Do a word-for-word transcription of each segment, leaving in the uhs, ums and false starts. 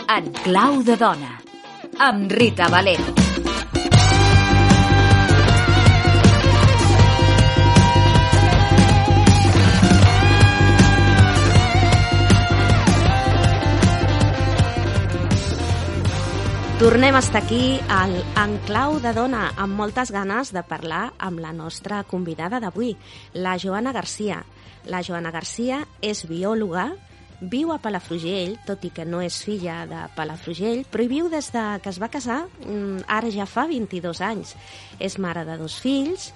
En clau de dona, amb Rita Valero. Tornem a estar aquí al En clau de dona, amb moltes ganes de parlar amb la nostra convidada d'avui, la Joana Garcia. La Joana Garcia és biòloga, viu a Palafrugell, tot i que no és filla de Palafrugell, però hi viu des de que es va casar, ara ja fa vint-i-dos anys. És mare de dos fills,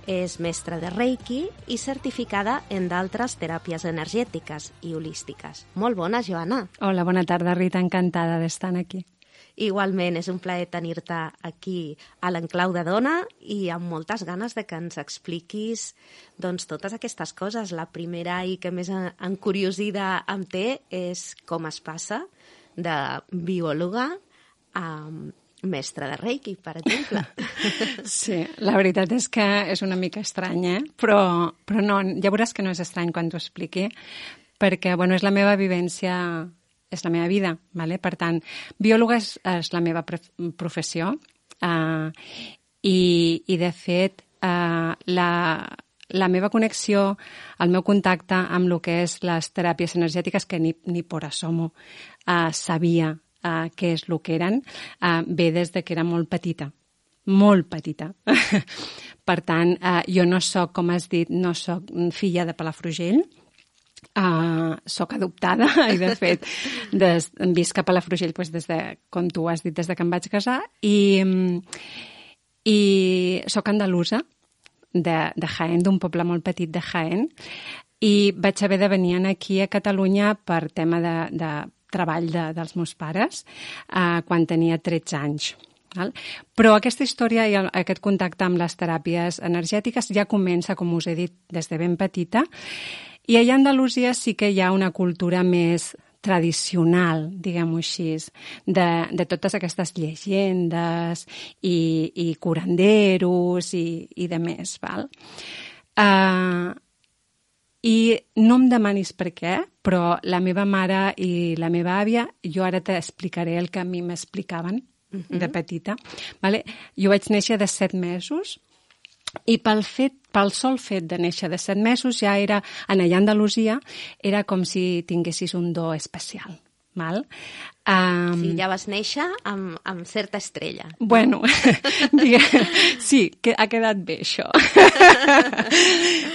és mestra de Reiki i certificada en d'altres teràpies energètiques i holístiques. Molt bona, Joana. Hola, bona tarda, Rita, encantada d'estar aquí. Igualment, és un plaer tenir-te aquí a l'Enclau de Dona i amb moltes ganes de que ens expliquis doncs, totes aquestes coses. La primera i que més encuriosida em té és com es passa de biòloga a mestra de Reiki, per exemple. Sí, la veritat és que és una mica estrany, eh? Però, però no, ja veuràs que no és estrany quan t'ho expliqui, perquè bueno, és la meva vivència... és la meva vida, vale? Per tant, biòloga és, és la meva professió uh, i, i, de fet, uh, la, la meva connexió, el meu contacte amb el que és les teràpies energètiques, que ni, ni por asomo uh, sabia uh, què és el que eren, uh, ve des de que era molt petita, molt petita. Per tant, uh, jo no soc, com has dit, no soc filla de Palafrugell, Uh, soc adoptada i, de fet, des, visc a Palafrugell doncs, des de, com tu has dit, des de que em vaig casar i, i soc andalusa de, de Jaén, d'un poble molt petit de Jaén, i vaig haver de venir aquí a Catalunya per tema de, de treball de, dels meus pares uh, quan tenia tretze anys. Val? Però aquesta història i aquest contacte amb les teràpies energètiques ja comença, com us he dit, des de ben petita. I allà a Andalusia sí que hi ha una cultura més tradicional, diguem-ho així, de, de totes aquestes llegendes i, i curanderos i, i de més. Val? Uh, I no em demanis per què, però la meva mare i la meva àvia, jo ara t'explicaré el que a mi m'explicaven uh-huh. de petita. Vale? Jo vaig néixer de set mesos, i pel fet, pel sol fet de néixer de set mesos ja era, en allà a Andalusia, era com si tinguessis un do especial. Val? Um, sí, ja vas néixer amb, amb certa estrella. Bueno, digue, sí, que ha quedat bé això.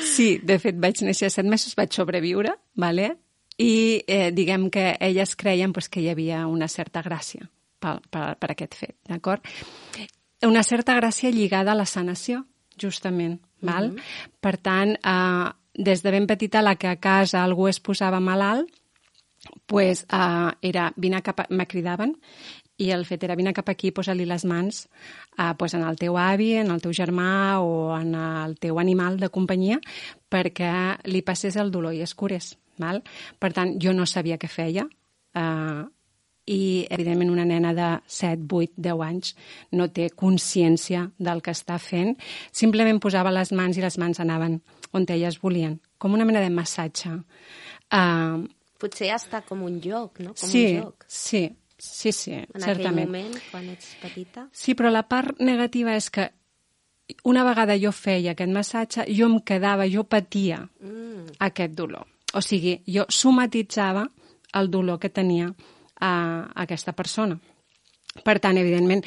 Sí, de fet vaig néixer a set mesos, vaig sobreviure, vale? I eh, diguem que elles creien pues, que hi havia una certa gràcia per, per, per aquest fet, d'acord? Una certa gràcia lligada a la sanació, justament, val? Mm-hmm. Per tant, eh, des de ben petita, la que a casa algú es posava malalt, pues, eh, era, vine cap a... me cridaven, i el fet era, vine cap aquí, posa-li les mans eh, pues, en el teu avi, en el teu germà o en el teu animal de companyia, perquè li passés el dolor i es curés, val? Per tant, jo no sabia què feia, eh, i, evidentment, una nena de set, vuit, deu anys no té consciència del que està fent. Simplement posava les mans i les mans anaven on elles volien, com una mena de massatge. Uh, Potser està com un joc, no? Com sí, un joc. sí, sí, sí, en certament. En aquell moment, quan ets petita? Sí, però la part negativa és que una vegada jo feia aquest massatge, jo em quedava, jo patia mm. aquest dolor. O sigui, jo somatitzava el dolor que tenia a aquesta persona. Per tant, evidentment,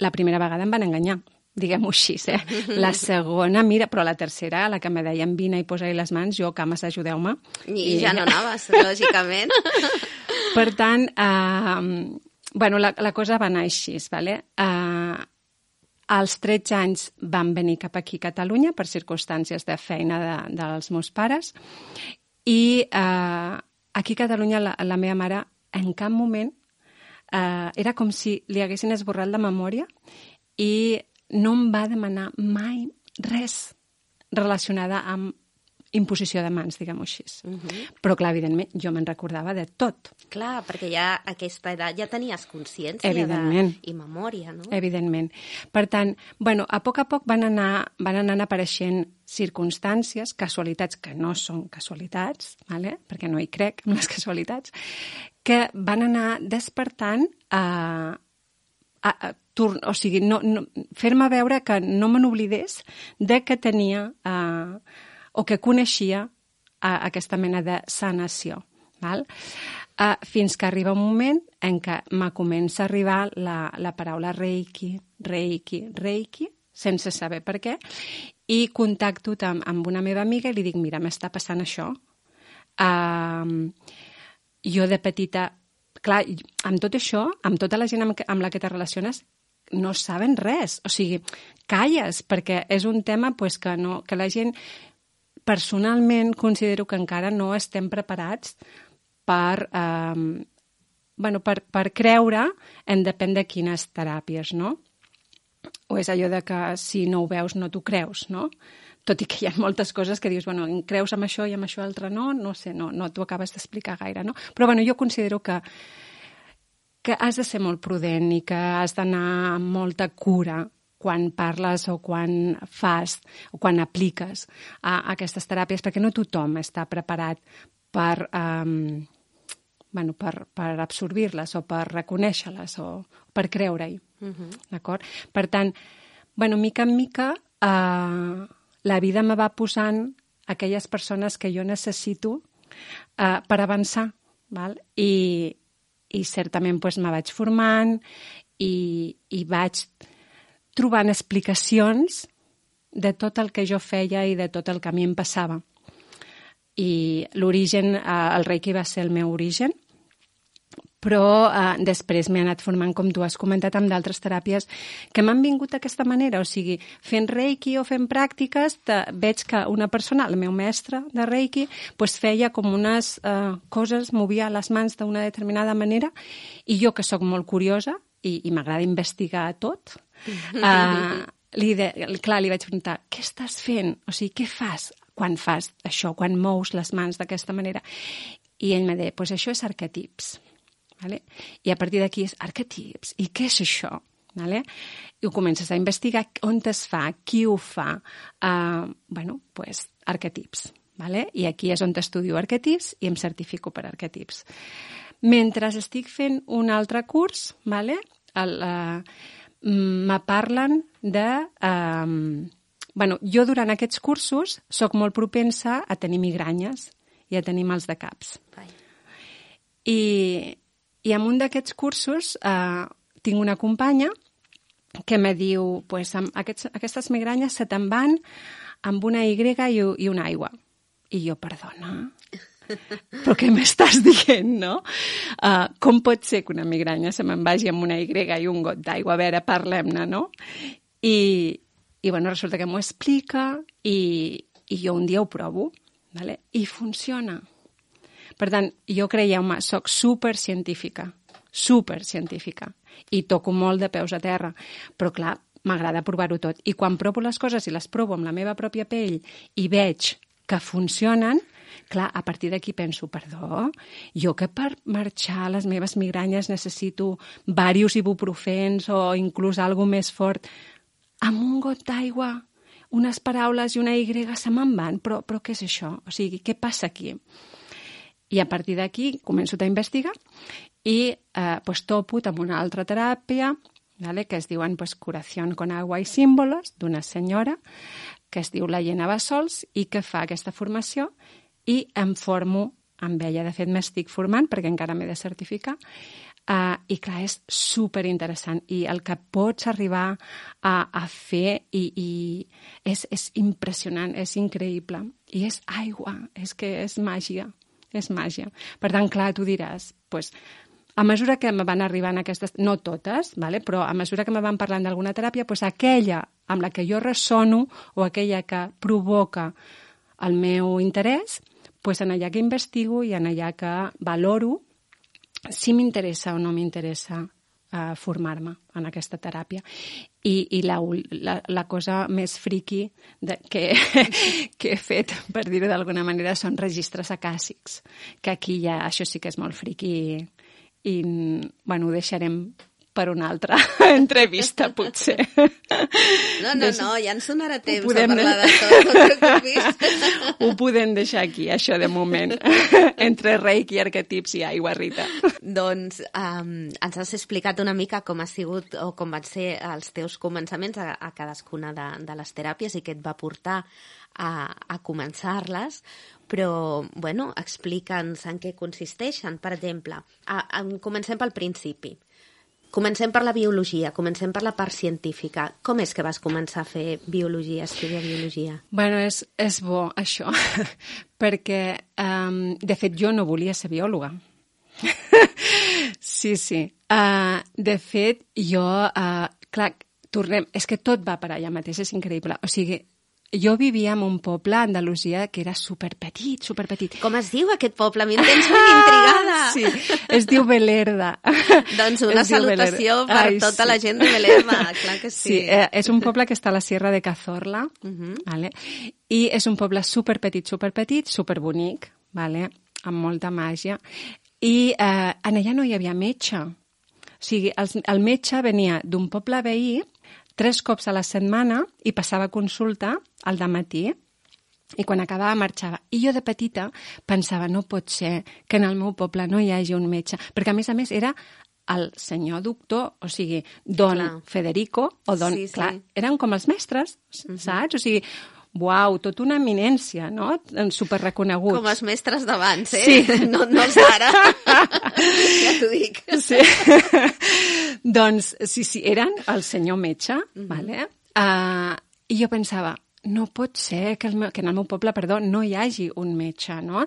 la primera vegada em van enganyar, diguem-ho així, eh? La segona, mira, però la tercera, la que me deien vine i posa-hi les mans, jo, cames, ajudeu-me. I, I ja no anaves, lògicament. Per tant, eh, bueno, la, la cosa va anar així, vale? Eh, als tretze anys vam venir cap aquí a Catalunya per circumstàncies de feina de, dels meus pares i eh, aquí a Catalunya la, la meva mare en cap moment eh, era com si li haguessin esborrat la memòria i no em va demanar mai res relacionada amb imposició de mans, diguem-ho així. Uh -huh. Però, clar, evidentment, jo me'n recordava de tot. Clar, perquè ja a aquesta edat ja tenies consciència Evidentment. de... i memòria, no? Evidentment. Per tant, bueno, a poc a poc van anar, van anar apareixent circumstàncies, casualitats que no són casualitats, vale? Perquè no hi crec en les casualitats, que van anar despertant a... a, a o sigui, no, no, fer-me veure que no me n'oblidés de que tenia eh, o que coneixia eh, aquesta mena de sanació. Val? Eh, fins que arriba un moment en què me comença a arribar la, la paraula reiki, reiki, reiki, sense saber per què, i contacto amb, amb una meva amiga i li dic, mira, m'està passant això. Eh, jo de petita, clar, amb tot això, amb tota la gent amb, amb la que te relaciones, no saben res, o sigui, calles, perquè és un tema pues, que, no, que la gent, personalment, considero que encara no estem preparats per, eh, bueno, per, per creure en depèn de quines teràpies, no? O és allò de que si no ho veus no t'ho creus, no? Tot i que hi ha moltes coses que dius, bueno, creus amb això i amb això altre no, no sé, no, no t'ho acabes d'explicar gaire, no? Però bueno, jo considero que que has de ser molt prudent i que has d'anar amb molta cura quan parles o quan fas o quan apliques a, a aquestes teràpies, perquè no tothom està preparat per, um, bueno, per, per absorbir-les o per reconèixer-les o per creure-hi. Uh-huh. D'acord? Per tant, bueno, mica en mica, uh, la vida me va posant aquelles persones que jo necessito uh, per avançar, val? I i certament doncs, me vaig formant i, i vaig trobant explicacions de tot el que jo feia i de tot el que a mi em passava. I l'origen, eh, el Reiki va ser el meu origen, però eh, després m'he anat formant, com tu has comentat, amb d'altres teràpies que m'han vingut d'aquesta manera. O sigui, fent Reiki o fent pràctiques, te, veig que una persona, el meu mestre de Reiki, pues, feia com unes eh, coses, movia les mans d'una determinada manera, i jo, que sóc molt curiosa i, i m'agrada investigar tot, eh, li de, clar, li vaig preguntar, què estàs fent? O sigui, què fas quan fas això, quan mous les mans d'aquesta manera? I ell me deia, pues això és arquetips. Vale? I a partir d'aquí és arquetips. I què és això? Vale? I ho comences a investigar on es fa, qui ho fa. Uh, bueno, pues, arquetips. Vale? I aquí és on estudio arquetips i em certifico per arquetips. Mentre estic fent un altre curs, vale? el, uh, me parlen de... Uh, bueno, jo durant aquests cursos soc molt propensa a tenir migranyes i a tenir mals de caps. Vai. I... I en un d'aquests cursos eh, tinc una companya que me diu, pues, aquests, aquestes migranyes se te'n van amb una Y i, i una aigua. I jo, perdona, però què m'estàs dient, no? Uh, com pot ser que una migranya se me'n vagi amb una Y i un got d'aigua? A veure, parlem-ne, no? I, i bueno, resulta que m'ho explica i, i jo un dia ho provo, vale? I funciona. Per tant, jo creieu-me, soc supercientífica, supercientífica, i toco molt de peus a terra, però clar, m'agrada provar-ho tot. I quan provo les coses i les provo amb la meva pròpia pell i veig que funcionen, clar, a partir d'aquí penso, perdó, jo que per marxar les meves migranyes necessito diversos ibuprofens o inclús alguna més fort, amb un got d'aigua, unes paraules i una Y se me'n van, però, però què és això? O sigui, què passa aquí? I a partir d'aquí començo a investigar i eh, pues, topo amb una altra teràpia, vale, que es diuen pues, Curación con agua y símbolos, d'una senyora que es diu la Llena Bassols i que fa aquesta formació i em formo amb ella. De fet, m'estic formant perquè encara m'he de certificar. Uh, I clar, és superinteressant i el que pots arribar a, a fer i, i és, és impressionant, és increïble. I és aigua, és que és màgia. És màgia. Per tant, clar, tu diràs, pues, a mesura que me van arribant aquestes, no totes, vale? Però a mesura que me van parlant d'alguna teràpia, pues, aquella amb la que jo ressono o aquella que provoca el meu interès, pues, en allà que investigo i en allà que valoro si m'interessa o no m'interessa uh, formar-me en aquesta teràpia. I, i la, la, la cosa més friqui de, que, que he fet, per dir-ho d'alguna manera, són registres acàssics, que aquí ja això sí que és molt friqui i, i bueno, ho deixarem per una altra entrevista, potser. No, no, no, ja ens donarà temps podem... a parlar de tot, no et preocupis. Ho podem deixar aquí, això de moment, entre reiki, arquetips i aigua, Rita. Doncs um, ens has explicat una mica com ha sigut o com van ser els teus començaments a, a cadascuna de, de les teràpies i què et va portar a, a començar-les, però, bueno, explica'ns en què consisteixen. Per exemple, a, a, comencem pel principi. Comencem per la biologia, comencem per la part científica. Com és que vas començar a fer biologia, estudiar biologia? Bueno, és, és bo, això, perquè, um, de fet, jo no volia ser biòloga. Sí, sí. Uh, de fet, jo, uh, clar, tornem... És que tot va per allà mateix, és increïble. O sigui, jo vivia en un poble a Andalusia que era superpetit, superpetit. Com es diu aquest poble? M'hi tens ben intrigada. Sí, es diu Belerda. Doncs una salutació per Ai, tota sí. la gent de Belerda, clar que sí. Sí, eh, és un poble que està a la Sierra de Cazorla, uh-huh. vale? I és un poble superpetit, superpetit, superbonic, vale? Amb molta màgia. I eh, en allà no hi havia metge. O sigui, el, el metge venia d'un poble veí tres cops a la setmana i passava consulta al dematí i quan acabava marxava. I jo de petita pensava, no pot ser que en el meu poble no hi hagi un metge, perquè a més a més era el senyor doctor, o sigui, don clar. Federico, o don... Sí, sí. Clar, eren com els mestres, uh-huh. saps? O sigui, uau, tota una eminència, no? Superreconeguts. Com els mestres d'abans, eh? Sí. No, no els d'ara. Ja t'ho dic. Sí. Doncs, sí, sí, eren el senyor metge, uh-huh. vale? Uh, i jo pensava, no pot ser que, el meu, que en el meu poble, perdó, no hi hagi un metge, no?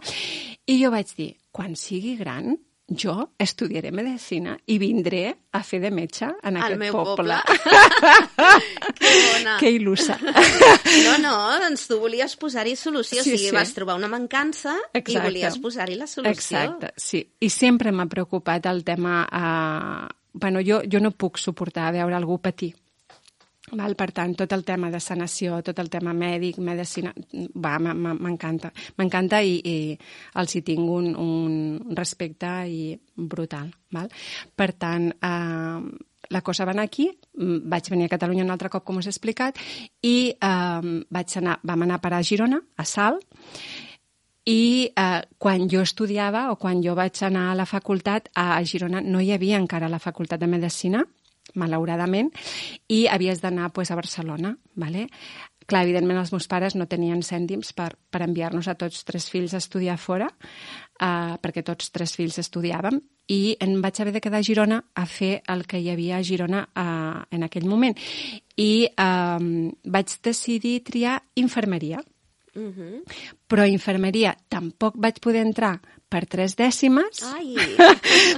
I jo vaig dir, quan sigui gran, jo estudiaré medicina i vindré a fer de metge en al aquest meu poble. poble. Que bona. Que il·lusa. No, no, doncs tu volies posar-hi solució, sí, o sigui, sí. vas trobar una mancança Exacte. I volies posar-hi la solució. Exacte, sí. I sempre m'ha preocupat el tema... Eh... Bueno, jo, jo no puc suportar veure algú patir. Val? Per tant, tot el tema de sanació, tot el tema mèdic, medicina, va, m'encanta. M'encanta i, i els hi tinc un, un respecte i brutal. Val? Per tant, eh, la cosa va anar aquí, vaig venir a Catalunya un altre cop, com us he explicat, i eh, vaig anar, vam anar a parar a Girona, a Salt, i eh, quan jo estudiava o quan jo vaig anar a la facultat, a Girona no hi havia encara la facultat de Medicina, malauradament, i havies d'anar pues, a Barcelona. Vale? Clar, evidentment els meus pares no tenien cèntims per, per enviar-nos a tots tres fills a estudiar fora, eh, perquè tots tres fills estudiàvem, i em vaig haver de quedar a Girona a fer el que hi havia a Girona eh, en aquell moment. I eh, vaig decidir triar infermeria. Uh-huh. Però a infermeria tampoc vaig poder entrar per tres dècimes Ai.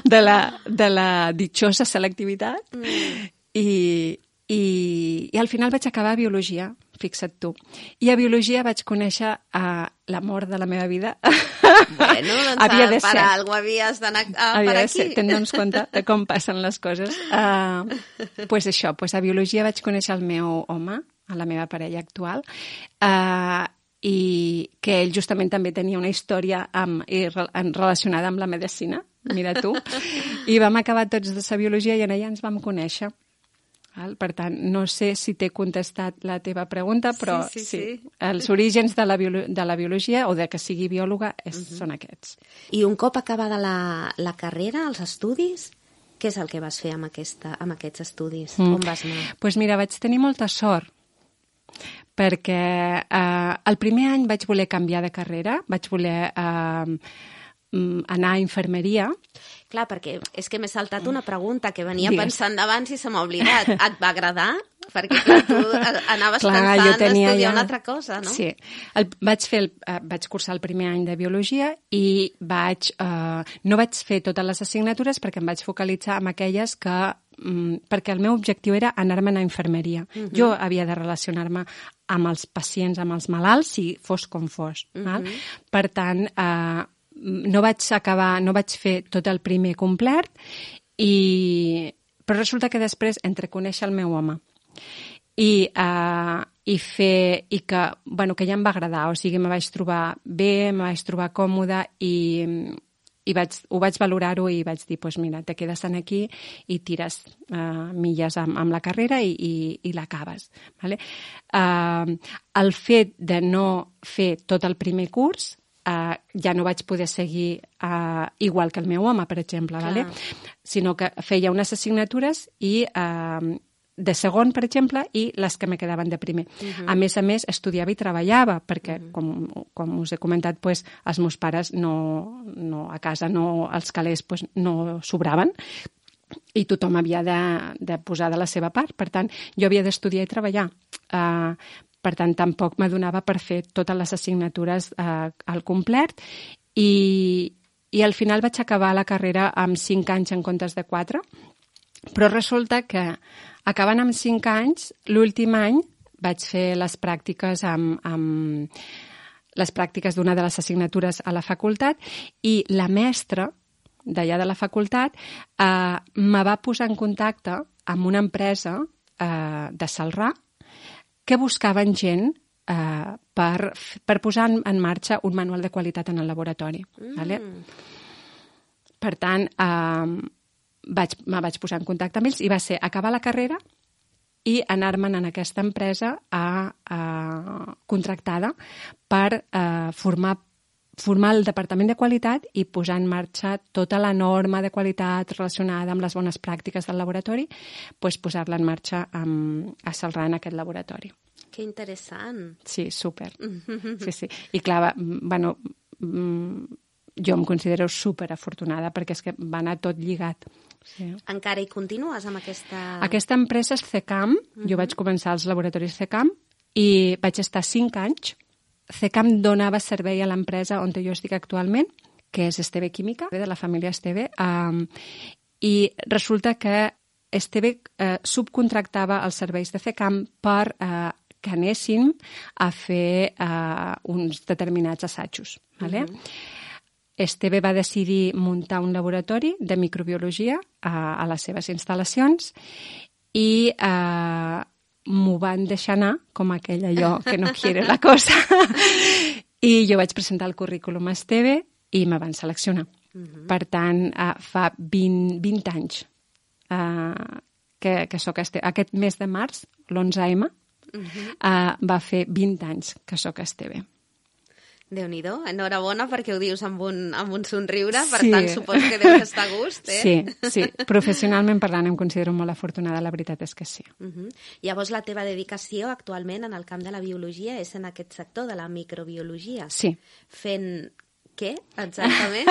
de, la, de la ditxosa selectivitat mm. i, i, i al final vaig acabar a biologia, fixa't tu. I a biologia vaig conèixer uh, l'amor de la meva vida. Bueno, doncs havia de per ser. algú havies d'anar uh, havia per de aquí. Ser. Te'n compte de com passen les coses. Uh, pues això, pues a biologia vaig conèixer el meu home, a la meva parella actual, uh, i que ell justament també tenia una història amb, i, en, relacionada amb la medicina, mira tu, i vam acabar tots de sa biologia i en allà ens vam conèixer. Per tant, no sé si t'he contestat la teva pregunta, però sí, sí, sí, sí. els orígens de la, biolo- de la biologia o de que sigui biòloga és, uh-huh. són aquests. I un cop acabada la, la carrera, els estudis, què és el que vas fer amb, aquesta, amb aquests estudis? Mm. On vas anar? Doncs pues mira, vaig tenir molta sort, perquè eh, el primer any vaig voler canviar de carrera, vaig voler eh, anar a infermeria. Clar, perquè és que m'he saltat una pregunta que venia Digues. pensant d'abans i se m'ha oblidat. Et va agradar? Perquè clar, tu anaves clar, pensant d'estudiar ja... una altra cosa, no? Sí. El, vaig, fer el, uh, vaig cursar el primer any de biologia i vaig, uh, no vaig fer totes les assignatures perquè em vaig focalitzar en aquelles que um, perquè el meu objectiu era anar-me'n a infermeria. Uh-huh. Jo havia de relacionar-me amb els pacients, amb els malalts, si fos com fos. Uh-huh. Val? Per tant, eh, no vaig acabar, no vaig fer tot el primer complet, i però resulta que després, entre conèixer el meu home i, uh, i fer, i que, bueno, que ja em va agradar, o sigui, me vaig trobar bé, me vaig trobar còmoda i, i vaig, ho vaig valorar-ho i vaig dir, pues mira, te quedes aquí i tires uh, milles amb, amb la carrera i, i, i l'acabes. Vale? Uh, el fet de no fer tot el primer curs, Uh, ja no vaig poder seguir uh, igual que el meu home, per exemple, vale? Sinó que feia unes assignatures i uh, de segon, per exemple, i les que me quedaven de primer. Uh-huh. A més a més, estudiava i treballava, perquè, uh-huh. com, com us he comentat, pues, els meus pares no, no, a casa, no, els calés pues, no sobraven, i tothom havia de, de posar de la seva part. Per tant, jo havia d'estudiar i treballar. Uh, Per tant, tampoc m'adonava per fer totes les assignatures eh, al complet i, i al final vaig acabar la carrera amb cinc anys en comptes de quatre, però resulta que acabant amb cinc anys, l'últim any vaig fer les pràctiques amb, amb les pràctiques d'una de les assignatures a la facultat i la mestra d'allà de la facultat eh, me va posar en contacte amb una empresa eh, de Celrà que buscaven gent eh, per, per posar en, en marxa un manual de qualitat en el laboratori. Mm. Vale? Per tant, eh, vaig, me vaig posar en contacte amb ells i va ser acabar la carrera i anar-me'n en aquesta empresa a, a, contractada per eh, formar formar el departament de qualitat i posar en marxa tota la norma de qualitat relacionada amb les bones pràctiques del laboratori, doncs posar-la en marxa amb, a Celrà en aquest laboratori. Que interessant. Sí, súper. Sí, sí. I clar, bueno, jo em considero súper afortunada perquè és que va anar tot lligat. Sí. Encara hi continues amb aquesta... Aquesta empresa és C E C A M. Uh-huh. Jo vaig començar als laboratoris C E C A M i vaig estar cinc anys. C E C A M donava servei a l'empresa on jo estic actualment, que és Esteve Química, de la família Esteve, um, i resulta que Esteve eh, subcontractava els serveis de C E C A M per eh, que anessin a fer eh, uns determinats assajos. Vale? Uh-huh. Esteve va decidir muntar un laboratori de microbiologia a, a les seves instal·lacions i eh, m'ho van deixar anar, com aquell allò que no quiere la cosa. I jo vaig presentar el currículum a Esteve i me van seleccionar. Uh-huh. Per tant, uh, fa vint, vint anys uh, que, que soc a Esteve. Aquest mes de març, l'onze eme, uh-huh. uh, va fer vint anys que soc a Esteve. Déu-n'hi-do, enhorabona perquè ho dius amb un, amb un somriure, per sí. tant suposo que deus estar a gust, eh? Sí, sí, professionalment parlant em considero molt afortunada, la veritat és que sí. Uh-huh. Llavors la teva dedicació actualment en el camp de la biologia és en aquest sector de la microbiologia. Sí. Fent què, exactament?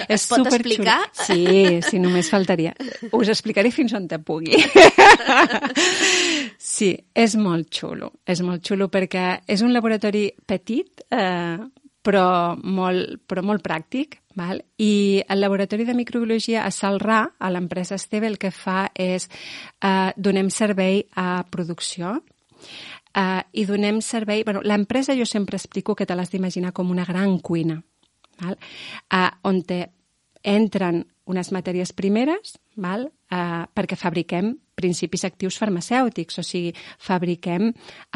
Es és pot explicar? Sí, sí, només faltaria. Us explicaré fins on te pugui. Sí, és molt xulo, és molt xulo perquè és un laboratori petit, eh, però, molt, però molt pràctic, val? I el laboratori de microbiologia a Celrà, a l'empresa Esteve, el que fa és eh, donem servei a producció eh, i donem servei... Bueno, l'empresa jo sempre explico que te l'has d'imaginar com una gran cuina, val? Eh, on te entren unes matèries primeres, val? Eh, perquè fabriquem principis actius farmacèutics, o sigui, fabriquem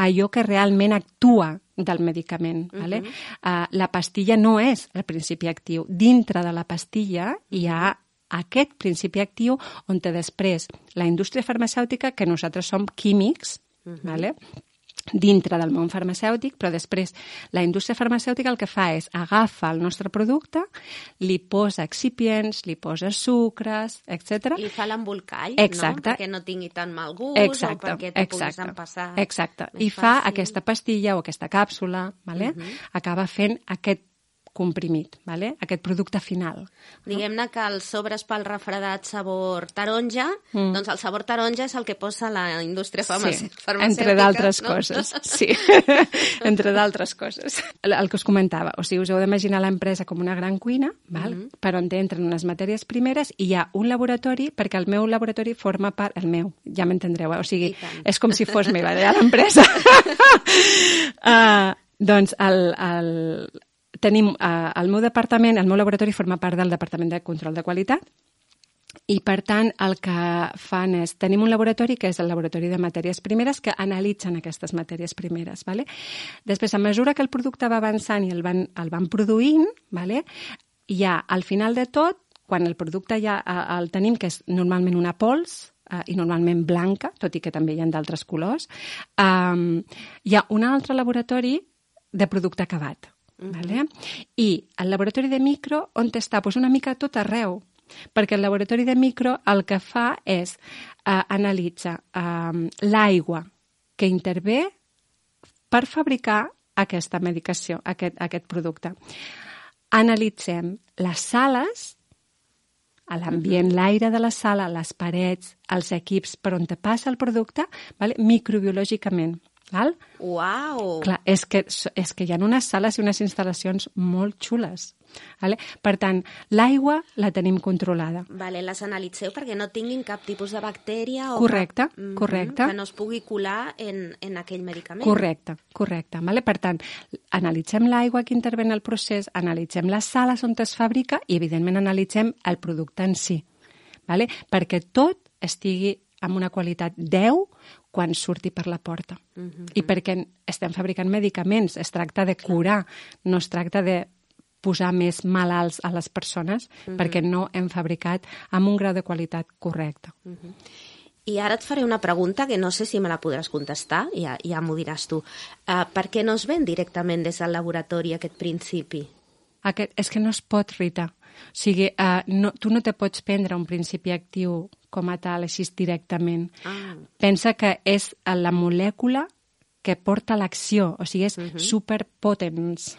allò que realment actua del medicament. Uh-huh. Vale? Uh, la pastilla no és el principi actiu. Dintre de la pastilla hi ha aquest principi actiu on després la indústria farmacèutica, que nosaltres som químics, uh-huh. vale? dintre del món farmacèutic, però després la indústria farmacèutica el que fa és agafa el nostre producte, li posa excipients, li posa sucres, etcètera. Li fa l'embolcall, no? Perquè no tingui tan mal gust exacte, o perquè t'ho exacte, puguis empassar. Exacte, i fa fàcil. Aquesta pastilla o aquesta càpsula, vale? uh-huh. acaba fent aquest comprimit, vale? Aquest producte final. Diguem-ne que els sobres pel refredat sabor taronja, mm. doncs el sabor taronja és el que posa la indústria farmacè- sí, farmacèutica. Entre d'altres no? coses, sí. Entre d'altres coses. El, el que us comentava, o sigui, us heu d'imaginar l'empresa com una gran cuina, val? Mm-hmm. per on entren unes matèries primeres i hi ha un laboratori, perquè el meu laboratori forma part... El meu, ja m'entendreu, eh? O sigui, és com si fos meva, ja l'empresa. uh, doncs el... el tenim eh, el meu departament, el meu laboratori forma part del Departament de Control de Qualitat I, per tant, el que fan és... Tenim un laboratori que és el laboratori de matèries primeres que analitzen aquestes matèries primeres. Vale? Després, a mesura que el producte va avançant i el van, el van produint, vale? Ja, al final de tot, quan el producte ja el tenim, que és normalment una pols, uh, i normalment blanca, tot i que també hi ha d'altres colors, um, hi ha un altre laboratori de producte acabat. Uh-huh. Vale? I el laboratori de micro, on està? Pues una mica tot arreu. Perquè el laboratori de micro el que fa és uh, analitzar uh, l'aigua que intervé per fabricar aquesta medicació, aquest, aquest producte. Analitzem les sales, a l'ambient, l'aire de la sala, les parets, els equips per on te passa el producte, vale? Microbiològicament. Val? Uau! Clar, és que, és que hi ha unes sales i unes instal·lacions molt xules. Vale? Per tant, l'aigua la tenim controlada. Vale, les analitzeu perquè no tinguin cap tipus de bactèria o correcte, cap, mm, correcte. que no es pugui colar en, en aquell medicament. Correcte, correcte. Vale? Per tant, analitzem l'aigua que intervé en el procés, analitzem les sales on es fabrica i, evidentment, analitzem el producte en si. Vale? Perquè tot estigui amb una qualitat deu quan surti per la porta. Uh-huh. I perquè estem fabricant medicaments, es tracta de curar, no es tracta de posar més malalts a les persones, uh-huh. perquè no hem fabricat amb un grau de qualitat correcte. Uh-huh. I ara et faré una pregunta que no sé si me la podràs contestar, ja, ja m'ho diràs tu. Uh, per què no es ven directament des del laboratori aquest principi? Aquest, és que no es pot, Rita. O sigui, uh, no, tu no te pots prendre un principi actiu com a tal, així directament. Ah. Pensa que és la molècula que porta l'acció, o sigui, és uh-huh. superpotents.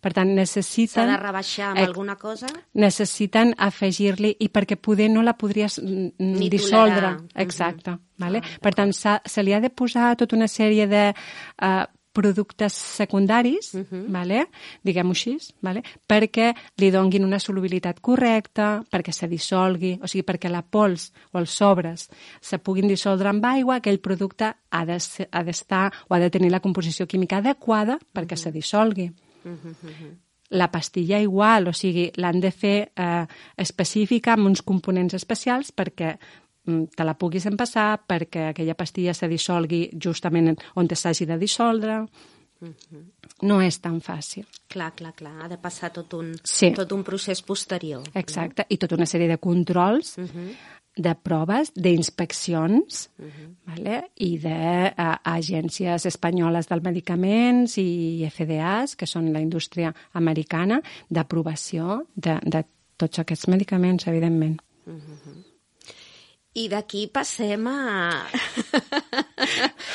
Per tant, necessiten... S'ha de rebaixar amb eh, alguna cosa? Necessiten afegir-li, i perquè poder no la podries Ni dissoldre. Tolerar. Exacte. Uh-huh. Vale? Ah, per tant, se li ha de posar tota una sèrie de... Uh, productes secundaris, uh-huh. vale? Diguem-ho així, vale? Perquè li donguin una solubilitat correcta, perquè se dissolgui, o sigui, perquè la pols o els sobres se puguin dissoldre amb aigua, aquell producte ha d'estar o ha de tenir la composició química adequada perquè uh-huh. se dissolgui. Uh-huh, uh-huh. La pastilla igual, o sigui, l'han de fer eh, específica amb uns components especials perquè te la puguis empassar, perquè aquella pastilla se dissolgui justament on s'hagi de dissoldre. Uh-huh. No és tan fàcil. Clar, clar, clar. Ha de passar tot un, sí. tot un procés posterior. Exacte. No? I tota una sèrie de controls, uh-huh. de proves, d'inspeccions, uh-huh. vale? I d'agències espanyoles del medicaments i F D As, que són la indústria americana, d'aprovació de, de tots aquests medicaments, evidentment. Uh-huh. I d'aquí passem a...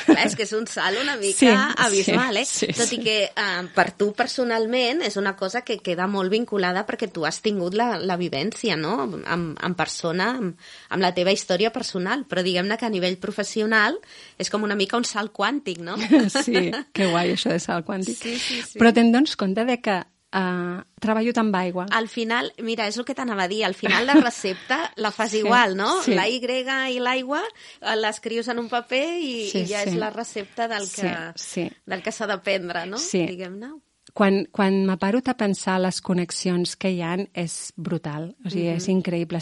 Clar, és que és un salt una mica sí, abismal, eh? Sí, sí, Tot i que eh, per tu personalment és una cosa que queda molt vinculada perquè tu has tingut la, la vivència, no? En, en persona, amb, amb la teva història personal, però diguem-ne que a nivell professional és com una mica un salt quàntic, no? Sí, que guai això de salt quàntic. Sí, sí, sí. Però te'n dones compte de que Uh, treballo amb aigua. Al final, mira, és el que t'anava a dir, al final la recepta la fas sí, igual, no? Sí. La Y i l'aigua l'escrius en un paper i, sí, i ja sí. és la recepta del que, sí, sí. del que s'ha de prendre, no? Sí. Diguem-ne. Quan, quan m'aparo a pensar les connexions que hi ha, és brutal. O sigui, mm-hmm. és increïble.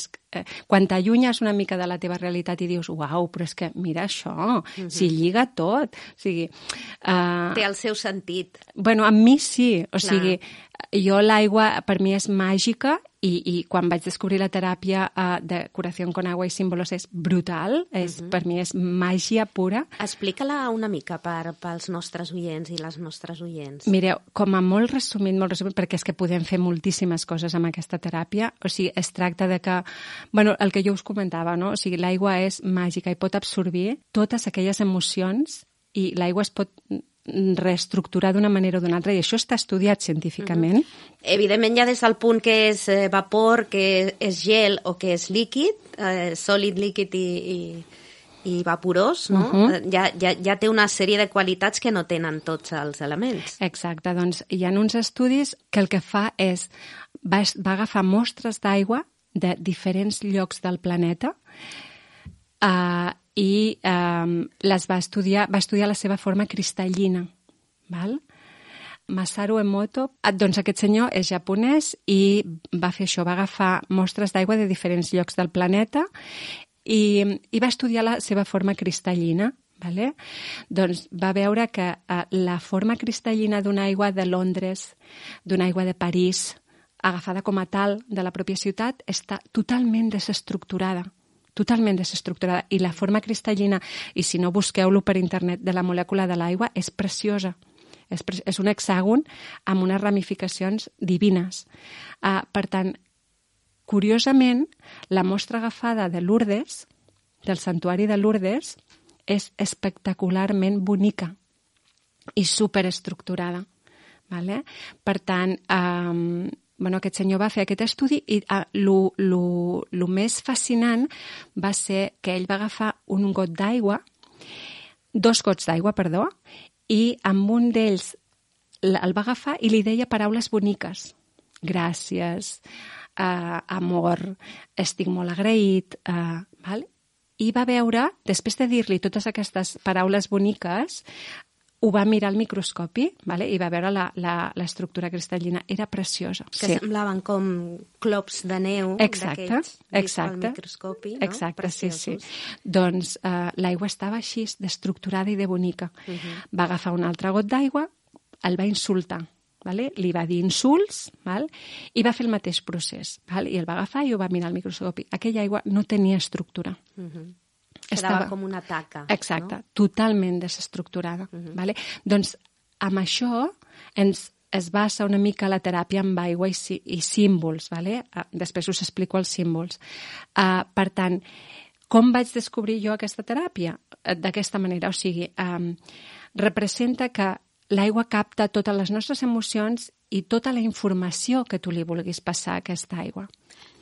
Quan t'allunyes una mica de la teva realitat i dius, uau, però és que mira això, mm-hmm. s'hi lliga tot. O sigui... Uh, Té el seu sentit. Bueno, amb mi sí. O Clar. sigui, jo l'aigua per mi és màgica i, i quan vaig descobrir la teràpia uh, de curació con agua i símbolos és brutal. És, mm-hmm. Per mi és màgia pura. Explica-la una mica per, pels nostres oients i les nostres oients. Mireu, com a molt resumit, molt resumit, perquè és que podem fer moltíssimes coses amb aquesta teràpia. O sigui, es tracta de que... Bueno, el que jo us comentava, no? O sigui, l'aigua és màgica i pot absorbir totes aquelles emocions i l'aigua es pot reestructurar d'una manera o d'una altra, i això està estudiat científicament. Mm-hmm. Evidentment, ja des del punt que és eh, vapor, que és gel o que és líquid, eh, sòlid, líquid i, i, i vaporós, no? Uh-huh. ja, ja, ja té una sèrie de qualitats que no tenen tots els elements. Exacte, doncs hi ha uns estudis que el que fa és, va, va agafar mostres d'aigua de diferents llocs del planeta eh, i eh, les va estudiar, va estudiar la seva forma cristal·lina. Val? Masaru Emoto. Doncs aquest senyor és japonès i va fer això, va agafar mostres d'aigua de diferents llocs del planeta i, i va estudiar la seva forma cristal·lina. Vale? Doncs va veure que uh, la forma cristal·lina d'una aigua de Londres, d'una aigua de París, agafada com a tal de la pròpia ciutat, està totalment desestructurada. Totalment desestructurada. I la forma cristal·lina, i si no busqueu-lo per internet, de la molècula de l'aigua, és preciosa. És, pre és un hexàgon amb unes ramificacions divines. Uh, per tant, curiosament, la mostra agafada de Lourdes, del santuari de Lourdes, és espectacularment bonica i superestructurada. Vale? Per tant, eh, bueno, aquest senyor va fer aquest estudi i el més fascinant va ser que ell va agafar un got d'aigua, dos gots d'aigua, perdó, i amb un d'ells el va agafar i li deia paraules boniques. Gràcies, eh, amor, estic molt agraït, eh, val? I va veure, després de dir-li totes aquestes paraules boniques, ho va mirar al microscopi, vale? I va veure l'estructura cristal·lina. Era preciosa. Que sí. semblaven com clops de neu d'aquests vist al microscopi, no? Exacte, preciosos. sí, sí. Doncs eh, l'aigua estava així, d'estructurada i de bonica. Uh -huh. Va agafar un altre got d'aigua, el va insultar. Vale? Li va dir insults, val? I va fer el mateix procés. Val? I el va agafar i ho va mirar al microscopi. Aquella aigua no tenia estructura. Uh -huh. Estava Quedava com una taca. Exacte, no? totalment desestructurada. Uh -huh. Vale? Doncs amb això ens, es basa una mica la teràpia amb aigua i, i símbols. Vale? Uh, després us explico els símbols. Uh, per tant, com vaig descobrir jo aquesta teràpia? Uh, D'aquesta manera, o sigui, um, representa que l'aigua capta totes les nostres emocions i tota la informació que tu li vulguis passar a aquesta aigua.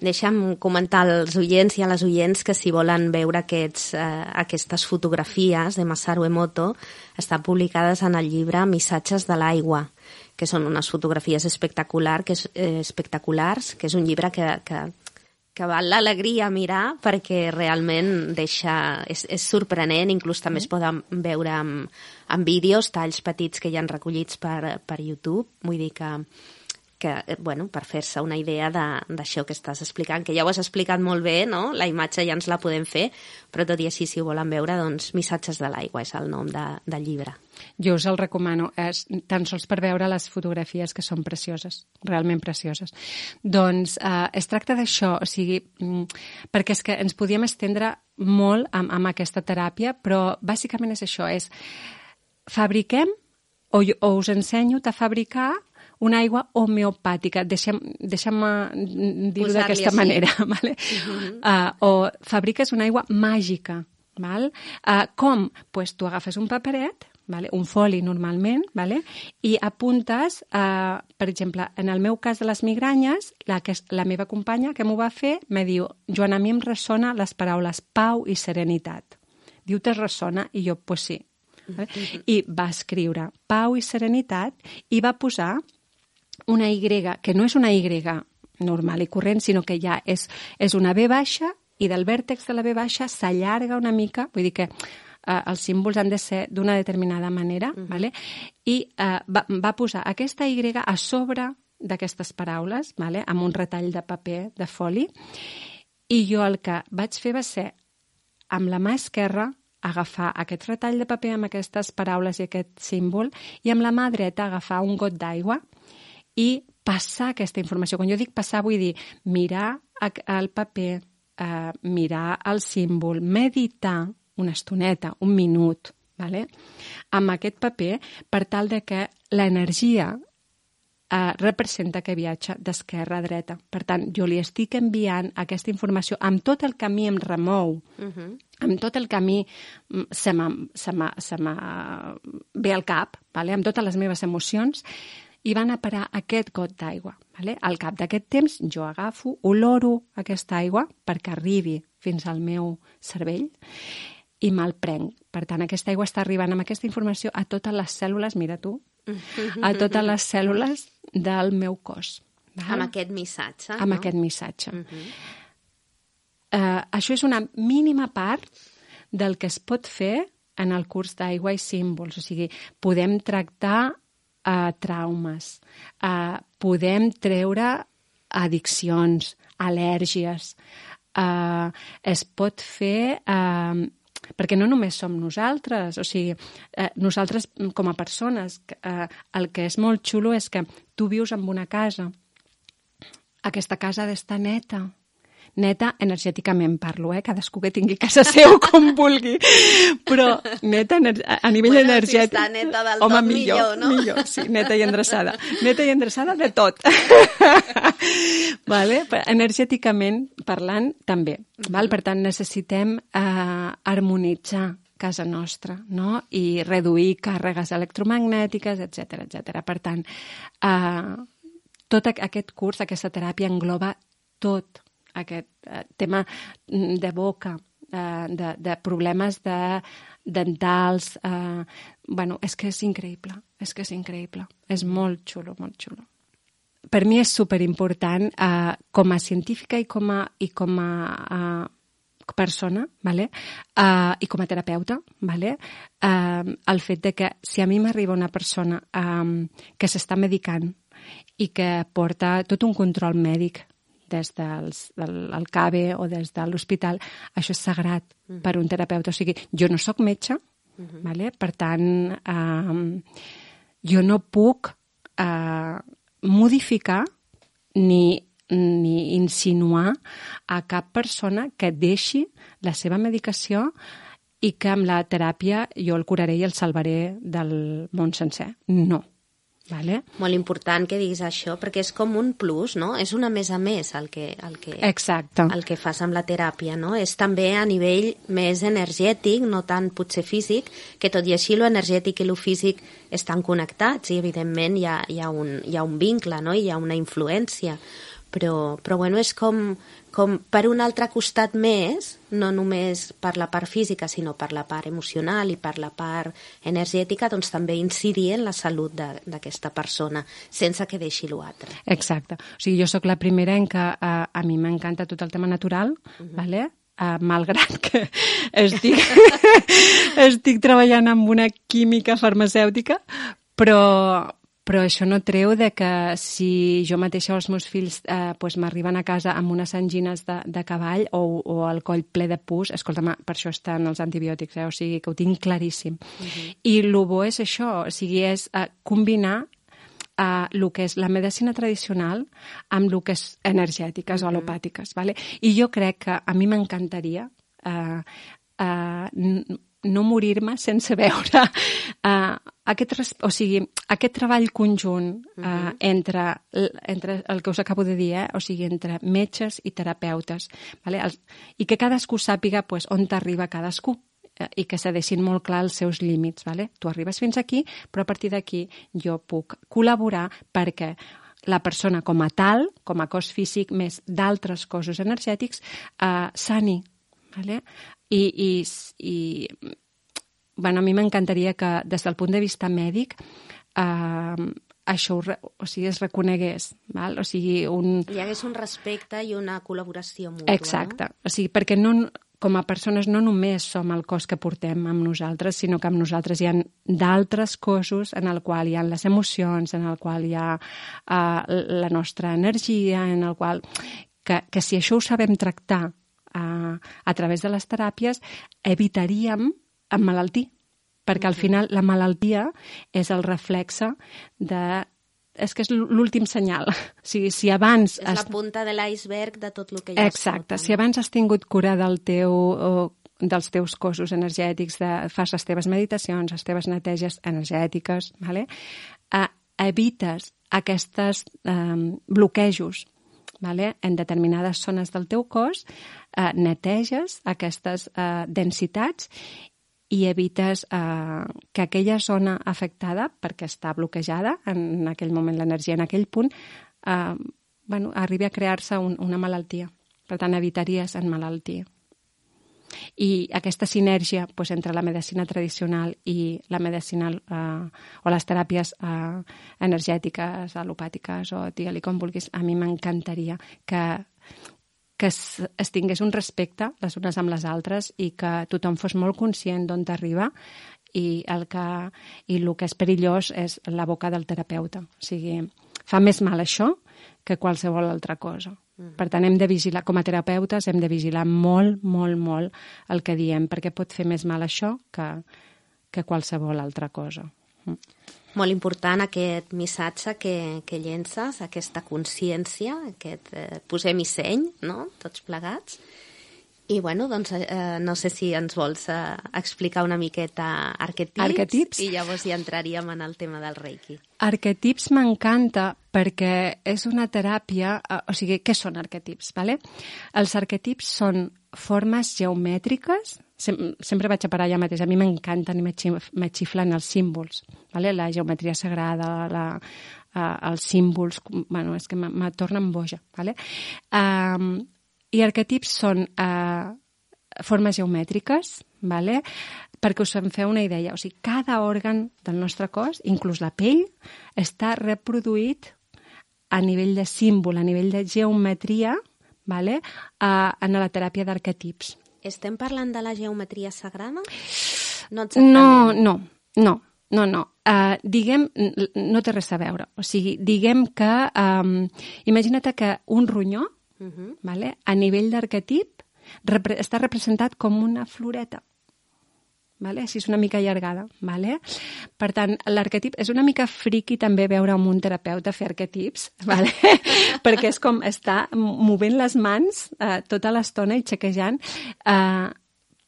Deixa'm comentar als oients i a les oients que si volen veure aquests, eh, aquestes fotografies de Masaru Emoto estan publicades en el llibre Missatges de l'aigua, que són unes fotografies espectacular, que és, eh, espectaculars, que és un llibre que, que, que val l'alegria mirar perquè realment deixa, és, és sorprenent, inclús també es poden veure amb, amb vídeos, talls petits que hi han recollits per, per YouTube, vull dir que que, bueno, per fer-se una idea d'això que estàs explicant, que ja ho has explicat molt bé, no? La imatge ja ens la podem fer, però tot i així, si ho volen veure, doncs Missatges de l'aigua és el nom de, del llibre. Jo us el recomano, és, tan sols per veure les fotografies que són precioses, realment precioses. Doncs eh, es tracta d'això, o sigui, perquè és que ens podíem estendre molt amb, amb aquesta teràpia, però bàsicament és això, és fabriquem o, o us ensenyo a fabricar una aigua homeopàtica, deixem-me deixem dir-ho d'aquesta manera, vale? Uh-huh. uh, o fabriques una aigua màgica, val? Uh, com? Pues tu agafes un paperet, vale? Un foli normalment, vale? I apuntes, uh, per exemple, en el meu cas de les migranyes, la, que, la meva companya que m'ho va fer me diu, Joan, a mi em ressona les paraules pau i serenitat. Diu, te ressona? I jo, pues sí. Vale? Uh-huh. I va escriure pau i serenitat i va posar una Y, que no és una Y normal i corrent, sinó que ja és, és una B baixa i del vèrtex de la B baixa s'allarga una mica, vull dir que eh, els símbols han de ser d'una determinada manera, uh-huh. vale? I eh, va, va posar aquesta Y a sobre d'aquestes paraules, vale? Amb un retall de paper, de foli, i jo el que vaig fer va ser, amb la mà esquerra, agafar aquest retall de paper amb aquestes paraules i aquest símbol, i amb la mà dreta agafar un got d'aigua i passar aquesta informació. Quan jo dic passar, vull dir mirar el paper, eh, mirar el símbol, meditar una estoneta, un minut, vale? Amb aquest paper, per tal de que l'energia eh, representa que viatja d'esquerra a dreta. Per tant, jo li estic enviant aquesta informació amb tot el camí em remou, uh-huh. amb tot el camí se me ve al cap, vale? Amb totes les meves emocions, i van a parar aquest got d'aigua. Vale? Al cap d'aquest temps jo agafo, oloro aquesta aigua perquè arribi fins al meu cervell i me'l prenc. Per tant, aquesta aigua està arribant amb aquesta informació a totes les cèl·lules, mira tu, a totes les cèl·lules del meu cos. Val? Amb aquest missatge. Amb no? aquest missatge. Uh -huh. uh, això és una mínima part del que es pot fer en el curs d'aigua i símbols. O sigui, podem tractar uh, traumes, uh, podem treure addiccions, al·lèrgies, uh, es pot fer... Uh, perquè no només som nosaltres, o sigui, eh, nosaltres com a persones, eh, el que és molt xulo és que tu vius en una casa, aquesta casa ha d'estar neta, neta energèticament parlo, eh? Cadascú que tingui casa seu com vulgui, però neta a nivell bueno, energètic... Si està neta del home, tot, millor, millor, no? Millor, sí, neta i endreçada. Neta i endreçada de tot. Vale? Energèticament parlant, també. Uh-huh. Val? Per tant, necessitem eh, harmonitzar casa nostra, no? I reduir càrregues electromagnètiques, etcètera, etcètera. Per tant, eh, tot aquest curs, aquesta teràpia engloba tot aquest eh, tema de boca, eh, de, de problemes de dentals. Eh, bueno, és que és increïble, és que és increïble. És molt xulo, molt xulo. Per mi és superimportant, eh, com a científica i com a, i com a eh, persona, vale? eh, i com a terapeuta, vale? eh, el fet de que si a mi m'arriba una persona eh, que s'està medicant i que porta tot un control mèdic des dels, del el C A B E o des de l'hospital, això és sagrat uh-huh. per un terapeuta. O sigui, jo no sóc metge, uh-huh. vale? Per tant, eh, jo no puc eh, modificar ni, ni insinuar a cap persona que deixi la seva medicació i que amb la teràpia jo el curaré i el salvaré del món sencer. No. Vale. Molt important que diguis això, perquè és com un plus, no? És una més a més el que, el que, Exacte. el que fas amb la teràpia, no? És també a nivell més energètic, no tant potser físic, que tot i així lo energètic i lo físic estan connectats i evidentment hi ha, hi ha, un, hi ha un vincle, no? Hi ha una influència. Però, però bueno, és com, com per un altre costat més, no només per la part física, sinó per la part emocional i per la part energètica, doncs també incidir en la salut d'aquesta persona, sense que deixi l'altre. Exacte. O sigui, jo sóc la primera en que a, a mi m'encanta tot el tema natural, uh-huh. vale? Uh, malgrat que estic, estic treballant amb una química farmacèutica, però... Però això no treu de que si jo mateixa o els meus fills eh, pues m'arriben a casa amb unes angines de, de cavall o, o el coll ple de pus, escolta'm, per això estan els antibiòtics, eh? O sigui que ho tinc claríssim. Uh-huh. I el bo és això, o sigui, és eh, combinar eh, el que és la medicina tradicional amb el que és energètiques uh-huh. o alopàtiques. Vale? I jo crec que a mi m'encantaria eh, eh, no morir-me sense veure uh, aquest, o sigui, aquest treball conjunt uh, uh-huh. entre, entre el que us acabo de dir, eh? O sigui, entre metges i terapeutes, vale? Els, i que cadascú sàpiga pues, on t'arriba cadascú eh, i que se deixin molt clar els seus límits. Vale? Tu arribes fins aquí, però a partir d'aquí jo puc col·laborar perquè la persona com a tal, com a cos físic, més d'altres cossos energètics, eh, sani. Vale? I, i, i bueno, a mi m'encantaria que des del punt de vista mèdic eh, això o sigui, es reconegués. Val? O sigui, un... hi hagués un respecte i una col·laboració mútua. Exacte. No? O sigui, perquè no, com a persones no només som el cos que portem amb nosaltres, sinó que amb nosaltres hi ha d'altres cossos en el qual hi ha les emocions, en el qual hi ha eh, la nostra energia, en el qual... Que, que si això ho sabem tractar A, a través de les teràpies, evitaríem emmalaltir, perquè al final la malaltia és el reflexe de... És que és l'últim senyal. O sigui, si abans... És has... la punta de l'iceberg de tot el que hi ha. Exacte. Si abans has tingut cura del teu, o, dels teus cossos energètics, de, fas les teves meditacions, les teves neteges energètiques, vale? eh, evites aquests eh, bloquejos, vale? En determinades zones del teu cos, eh, neteges aquestes eh, densitats i evites eh, que aquella zona afectada, perquè està bloquejada en aquell moment l'energia, en aquell punt, eh, bueno, arribi a crear-se un, una malaltia. Per tant, evitaries emmalaltir. I aquesta sinergia pues, entre la medicina tradicional i la medicina eh, o les teràpies eh, energètiques, alopàtiques o digue-li com vulguis, a mi m'encantaria que, que es, es tingués un respecte les unes amb les altres i que tothom fos molt conscient d'on t'arriba i el que, i el que és perillós és la boca del terapeuta. O sigui, fa més mal això que qualsevol altra cosa. Mm. Per tant, hem de vigilar, com a terapeutes, hem de vigilar molt, molt, molt el que diem, perquè pot fer més mal això que, que qualsevol altra cosa. Mm. Molt important aquest missatge que, que llences, aquesta consciència, aquest eh, posem-hi seny, no?, tots plegats. I, bueno, doncs, eh, no sé si ens vols eh, explicar una miqueta arquetips, arquetips, i llavors ja entraríem en el tema del Reiki. Arquetips m'encanta perquè és una teràpia... Eh, o sigui, què són arquetips? Vale? Els arquetips són formes geomètriques. Sem sempre vaig a parar allà mateix. A mi m'encanten i me xiflen els símbols. Vale? La geometria sagrada, la, uh, els símbols... Bueno, és que me tornen boja. Vale? Um, I arquetips són uh, formes geomètriques, vale? Perquè us en feu una idea. O sigui, cada òrgan del nostre cos, inclús la pell, està reproduït a nivell de símbol, a nivell de geometria, vale? uh, en la teràpia d'arquetips. Estem parlant de la geometria sagrada? No exactament. No, no, no, no. no. Uh, diguem, no té res a veure. O sigui, diguem que, um, imagina't que un ronyó, uh-huh. vale, a nivell d'arquetip, repre està representat com una floreta. Vale? Així és una mica allargada. Vale? Per tant, l'arquetip és una mica friqui també veure amb un terapeuta fer arquetips, vale? Perquè és com estar movent les mans eh, tota l'estona i xequejant, eh,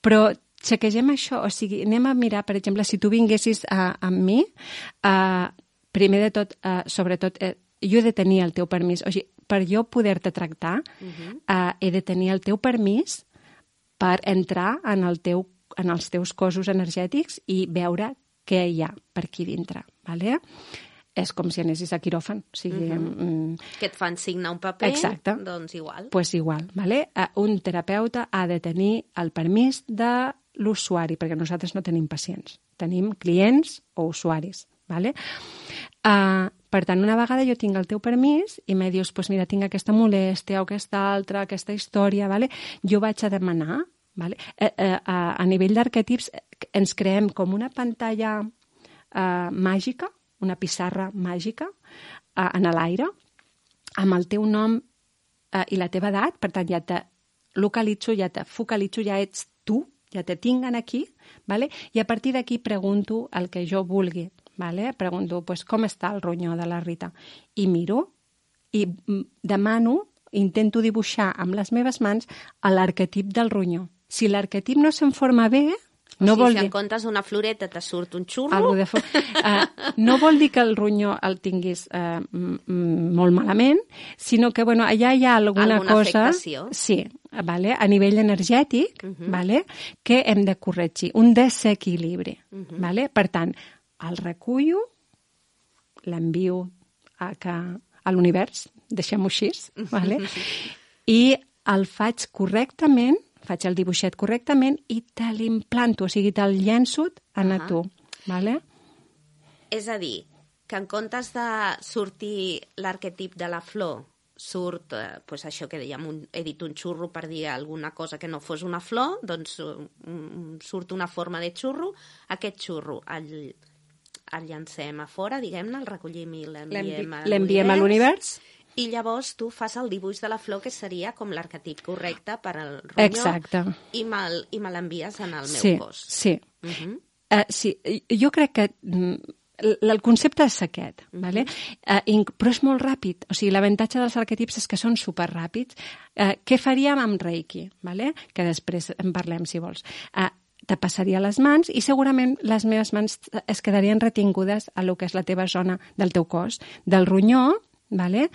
però xequegem això, o sigui, anem a mirar, per exemple, si tu vinguessis eh, amb mi, eh, primer de tot, eh, sobretot, eh, jo he de tenir el teu permís, o sigui, per jo poder-te tractar, uh-huh. eh, he de tenir el teu permís per entrar en el teu en els teus cossos energètics i veure què hi ha per aquí dintre. Vale? És com si anessis a quiròfan. O sigui, uh-huh. mm, que et fan signar un paper, exacte. Doncs igual. Pues igual. Vale? Un terapeuta ha de tenir el permís de l'usuari, perquè nosaltres no tenim pacients. Tenim clients o usuaris. Vale? Uh, per tant, una vegada jo tinc el teu permís i me dius, pues mira, tinc aquesta molèstia o aquesta altra, aquesta història, vale? Jo vaig a demanar. Vale? Eh, eh, a, a nivell d'arquetips ens creem com una pantalla eh, màgica, una pissarra màgica eh, en l'aire, amb el teu nom eh, i la teva edat, per tant ja te localitzo, ja te focalitzo, ja ets tu, ja te tinguen aquí, vale? I a partir d'aquí pregunto el que jo vulgui. Vale? Pregunto pues, com està el ronyó de la Rita i miro i demano, intento dibuixar amb les meves mans l'arquetip del ronyó. Si l'arquetip no se'n forma bé, no o sigui, vol si dir... en comptes d'una floreta te surt un xurro... Algo de fo... uh, no vol dir que el ronyó el tinguis uh, molt malament, sinó que bueno, allà hi ha alguna, alguna cosa... afectació. Sí, vale? A nivell energètic, uh -huh. vale? Que hem de corregir, un desequilibri. Uh -huh. Vale? Per tant, el recullo, l'envio a, que... a l'univers, deixem-ho així, vale? I el faig correctament, faig el dibuixet correctament i te l'implanto, o sigui, te'l llenço en a tu. Vale? És a dir, que en comptes de sortir l'arquetip de la flor, surt, eh, pues això que dèiem, un, he dit un xurro per dir alguna cosa que no fos una flor, doncs um, surt una forma de xurro, aquest xurro el, el llancem a fora, diguem-ne, el recollim i l'enviem a l'univers. I llavors tu fas el dibuix de la flor, que seria com l'arquetip correcte per al ronyó. Exacte. I me, i me l'envies en el meu sí, cos. Sí, uh-huh. uh, sí. Jo crec que mm, el concepte és aquest, uh-huh. vale? uh, però és molt ràpid. O sigui, l'avantatge dels arquetips és que són superràpids. Uh, què faríem amb Reiki? Vale? Que després en parlem, si vols. Uh, te passaria les mans i segurament les meves mans es quedarien retingudes a lo que és la teva zona del teu cos. Del ronyó, vale?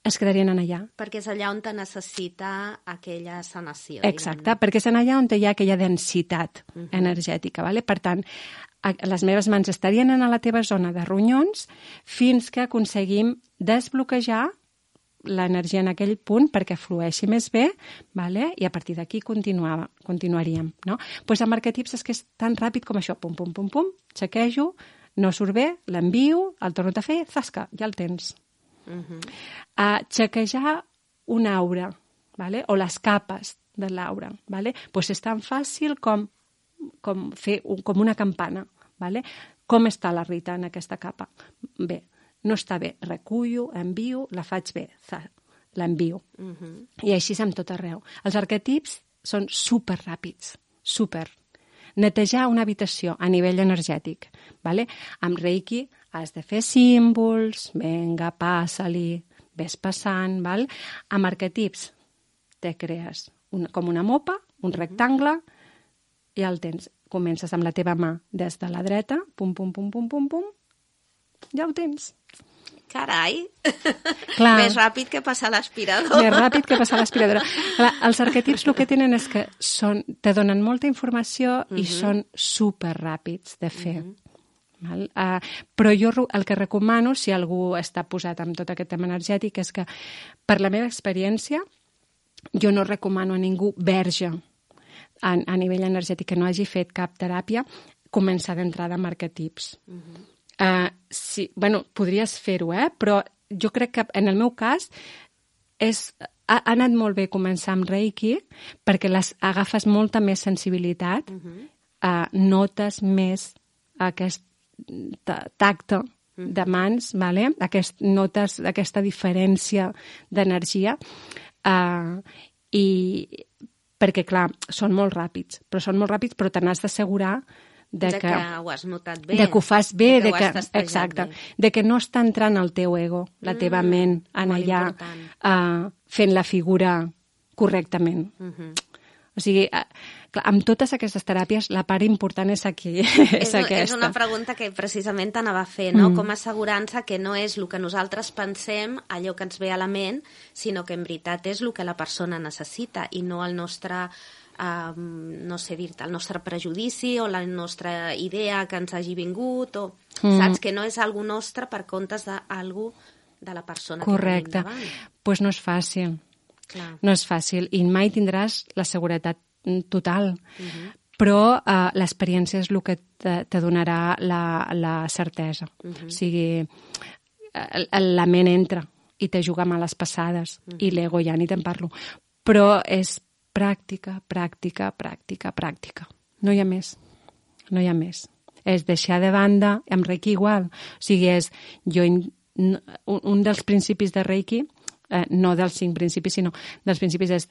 Es quedarien en allà. Perquè és allà on te necessita aquella sanació. Exacte, diguem. Perquè és en allà on hi ha aquella densitat uh-huh. energètica. Vale? Per tant, les meves mans estarien en la teva zona de ronyons fins que aconseguim desbloquejar l'energia en aquell punt perquè flueixi més bé, vale? I a partir d'aquí continuaríem. No? Pues amb arquetips és que és tan ràpid com això, pum, pum, pum, pum, xequejo, no surt bé, l'envio, el torno a fer, zasca, ja el tens. Uh-huh. uh, xequejar una aura, vale? O les capes de l'aura, vale? Pues és tan fàcil com, com fer un, com una campana. Vale? Com està la Rita en aquesta capa? Bé, no està bé, recullo, envio, la faig bé, l'envio. Uh-huh. I així és amb tot arreu. Els arquetips són super ràpids, super. Netejar una habitació a nivell energètic. Vale? Amb Reiki has de fer símbols, vinga, passa-li, ves passant. Val? Amb arquetips te crees una, com una mopa, un rectangle, i ja el tens. Comences amb la teva mà des de la dreta, pum, pum, pum, pum, pum, pum, ja ho tens. Carai! Clar. Més ràpid que passar l'aspiradora. Més ràpid que passar l'aspiradora. Clar, els arquetips el que tenen és que són, te donen molta informació uh-huh. i són superràpids de fer. Uh-huh. Val? Uh, però jo el que recomano, si algú està posat amb tot aquest tema energètic, és que, per la meva experiència, jo no recomano a ningú verge a, a nivell energètic que no hagi fet cap teràpia, començar d'entrada amb arquetips. Uh-huh. Uh, sí, bueno, podries fer-ho, eh? Però jo crec que en el meu cas és, ha, ha anat molt bé començar amb Reiki perquè les agafes molta més sensibilitat, uh-huh. uh, notes més aquest tacte uh-huh. de mans, vale? Aquest, notes aquesta diferència d'energia uh, i perquè, clar, són molt ràpids, però són molt ràpids, però te n'has d'assegurar de, de que, que ho has notat bé. De que ho fas bé, de de que, que, que exacte, bé. De que no està entrant el teu ego, la mm, teva ment, en allà, uh, fent la figura correctament. Uh-huh. O sigui, uh, clar, amb totes aquestes teràpies, la part important és aquí, és, és aquesta. És una pregunta que precisament t'anava a fer, no? Mm. Com assegurar-se que no és el que nosaltres pensem, allò que ens ve a la ment, sinó que en veritat és el que la persona necessita i no el nostre, uh, no sé dir-te, el nostre prejudici o la nostra idea que ens hagi vingut, o mm. saps que no és algú nostre per comptes d'algú de la persona Correcte. Que tenim davant. Doncs pues no és fàcil. Clar. No és fàcil i mai tindràs la seguretat total, uh-huh. però uh, l'experiència és el que te, te donarà la, la certesa. Uh-huh. O sigui, la ment entra i te juga males passades uh-huh. i l'ego ja ni te'n parlo. Però és pràctica, pràctica, pràctica, pràctica. No hi ha més. No hi ha més. És deixar de banda, amb Reiki igual. O sigui, és jo, un, un dels principis de Reiki, eh, no dels cinc principis, sinó dels principis és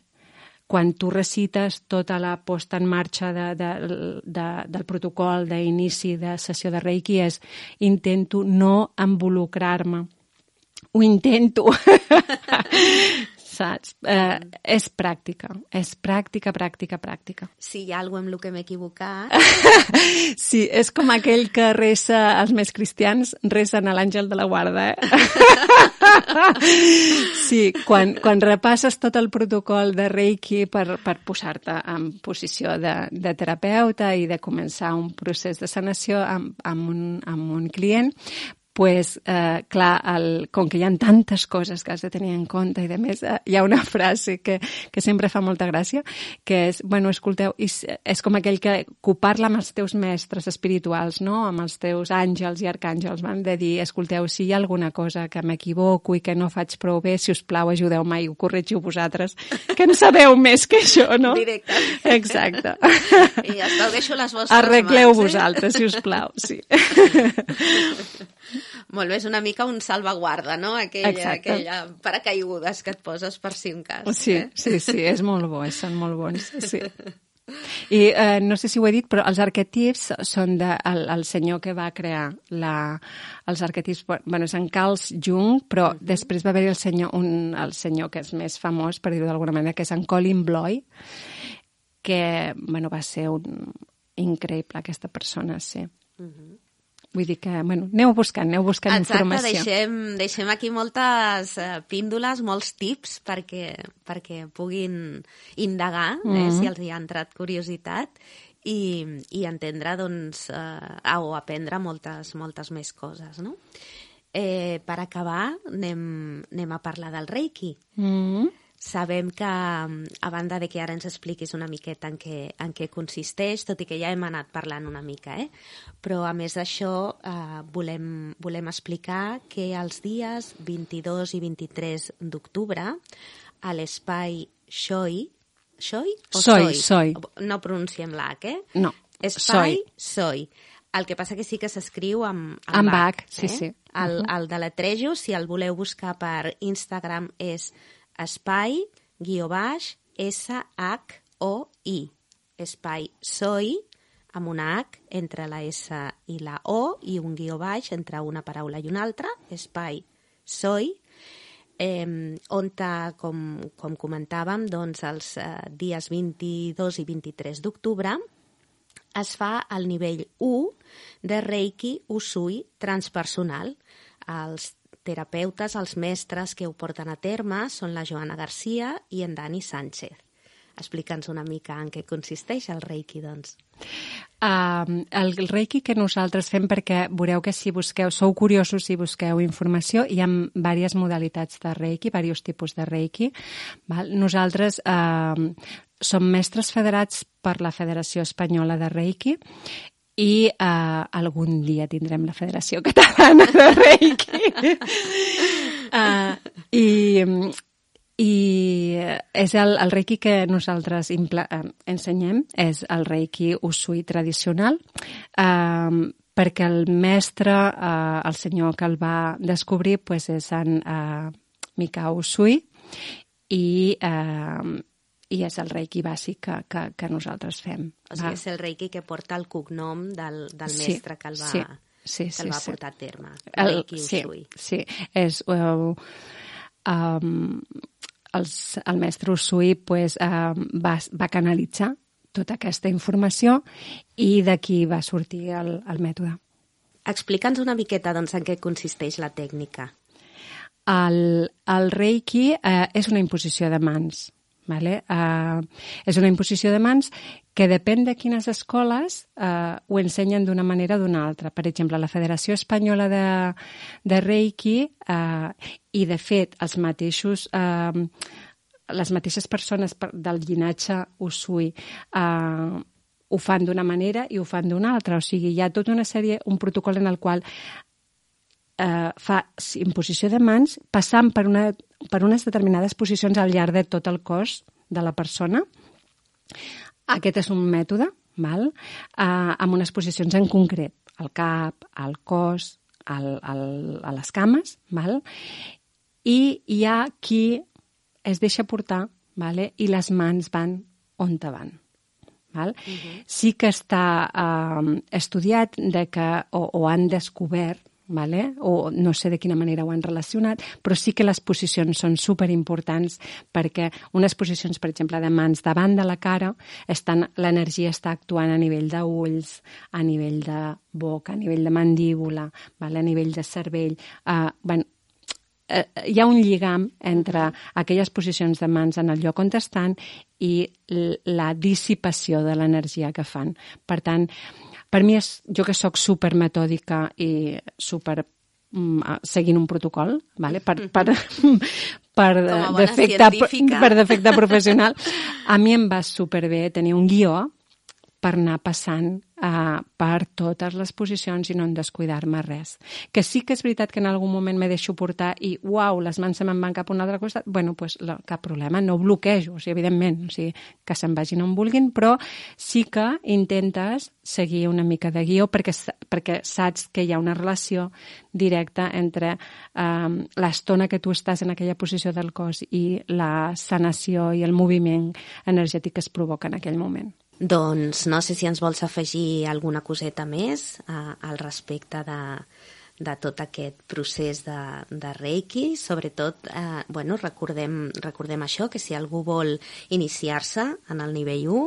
quan tu recites tota la posta en marxa de, de, de, del protocol d'inici de sessió de Reiki és intento no involucrar-me. Ho intento. Saps? Eh, és pràctica. És pràctica, pràctica, pràctica. Si hi ha alguna cosa amb el que m'he equivocat. Sí, és com aquell que resa, els més cristians resen a l'àngel de la guarda, eh? Sí, quan, quan repasses tot el protocol de Reiki per, per posar-te en posició de, de terapeuta i de començar un procés de sanació amb, amb, un, amb un client, pues, eh, clar, el, com que hi ha tantes coses que has de tenir en compte i de més, eh, hi ha una frase que, que sempre fa molta gràcia, que és, bueno, escolteu, és, és com aquell que, que parla amb els teus mestres espirituals, no?, amb els teus àngels i arcàngels, van de dir, escolteu, si hi ha alguna cosa que m'equivoco i que no faig prou bé, si us plau, ajudeu-me i ho corregiu vosaltres, que en sabeu més que jo, no? Directament. Exacte. I ja està, ho deixo les vostres Arregleu mans, eh? vosaltres, si us plau, sí. Molt bé, és una mica un salvaguarda, no? Aquella, aquella paracaigudes que et poses per si un cas. Sí, eh? sí, sí, és molt bo, són molt bons, sí. I eh, no sé si ho he dit, però els arquetips són de, el, el senyor que va crear la, els arquetips, bueno, és en Carl Jung, però uh-huh. després va haver-hi el senyor, un, el senyor que és més famós, per dir-ho d'alguna manera, que és en Colin Bloy, que, bueno, va ser un increïble, aquesta persona, sí. Uh-huh. Vull dir que, bueno, aneu buscant, aneu buscant Exacte, informació. Exacte, deixem, deixem aquí moltes uh, píndoles, molts tips perquè, perquè puguin indagar, mm-hmm. eh, si els hi ha entrat curiositat, i, i entendre, doncs, uh, o aprendre moltes, moltes més coses, no? Eh, per acabar, anem, anem a parlar del Reiki. Mm-hmm. Sabem que, a banda de que ara ens expliquis una miqueta en què, en què consisteix, tot i que ja hem anat parlant una mica, eh? Però a més d'això eh, volem, volem explicar que els dies vint-i-dos i vint-i-tres d'octubre a l'espai Xoi, Xoi o Soi, Soi? Soi. No pronunciem l'H, eh? No, Espai Soi. el que passa que sí que s'escriu amb, amb, Amb H, H, sí, eh? sí. El, Uh-huh. el deletrejo, si el voleu buscar per Instagram, és espai, guió baix, S H O I. Espai Soi, amb una H entre la S i la O i un guió baix entre una paraula i una altra, espai Soi, eh, on, com, com comentàvem, doncs, els eh, dies vint-i-dos i vint-i-tres d'octubre es fa el nivell u de Reiki Usui transpersonal. Els terapeutes, els mestres que ho porten a terme són la Joana Garcia i en Dani Sánchez. Explica'ns una mica en què consisteix el Reiki, doncs. Uh, el Reiki que nosaltres fem, perquè veureu que si busqueu, sou curiosos si busqueu informació, hi ha diverses modalitats de Reiki, diversos tipus de Reiki. Val? Nosaltres uh, som mestres federats per la Federació Espanyola de Reiki i uh, algun dia tindrem la Federació Catalana de Reiki. uh, I... I és el, el Reiki que nosaltres impla, eh, ensenyem, és el Reiki Usui tradicional, eh, perquè el mestre, eh, el senyor que el va descobrir, pues, és en eh, Mikao Usui, i, eh, i és el Reiki bàsic que, que, que nosaltres fem. O sigui, és el Reiki que porta el cognom del, del sí, mestre que el va, sí, sí, que el sí, va sí. portar a terme. El, Reiki Usui. sí, sí, és... Uh, um, els, el mestre Usui pues, uh, va, va canalitzar tota aquesta informació i d'aquí va sortir el, el mètode. Explica'ns una miqueta, doncs, en què consisteix la tècnica. El, el Reiki eh, és una imposició de mans. Vale? Uh, és una imposició de mans que depèn de quines escoles uh, ho ensenyen d'una manera o d'una altra. Per exemple, la Federació Espanyola de, de Reiki uh, i, de fet, els mateixos, uh, les mateixes persones del llinatge Usui uh, ho fan d'una manera i ho fan d'una altra. O sigui, hi ha tota una sèrie, un protocol en el qual Uh, fa imposició de mans passant per, una, per unes determinades posicions al llarg de tot el cos de la persona. Aquest és un mètode, val? Uh, amb unes posicions en concret, el cap, el cos, el, el, a les cames, val? I hi ha qui es deixa portar, vale? I les mans van on te van. Val? Uh-huh. Sí que està uh, estudiat de que, o, o han descobert, vale? O no sé de quina manera ho han relacionat, però sí que les posicions són superimportants perquè unes posicions, per exemple, de mans davant de la cara, estan, l'energia està actuant a nivell d'ulls, a nivell de boca, a nivell de mandíbula, vale? A nivell de cervell. Uh, bueno, uh, hi ha un lligam entre aquelles posicions de mans en el lloc on estan i la dissipació de l'energia que fan. Per tant, per mi, és, jo que sóc super metòdica i super mm, seguint un protocol, vale? per, per, per, defecte, per defecte professional, a mi em va superbé tenir un guió per anar passant uh, per totes les posicions i no en descuidar-me res. Que sí que és veritat que en algun moment me deixo portar i, uau, les mans se me'n van cap a un altre costat, bueno, pues, la, cap problema, no bloquejo, o sigui, evidentment, o sigui, que se'n vagin on vulguin, però sí que intentes seguir una mica de guió perquè, perquè saps que hi ha una relació directa entre um, l'estona que tu estàs en aquella posició del cos i la sanació i el moviment energètic que es provoca en aquell moment. Doncs no sé si ens vols afegir alguna coseta més uh, al respecte de, de tot aquest procés de, de Reiki. Sobretot, eh, bueno, recordem, recordem això, que si algú vol iniciar-se en el nivell u,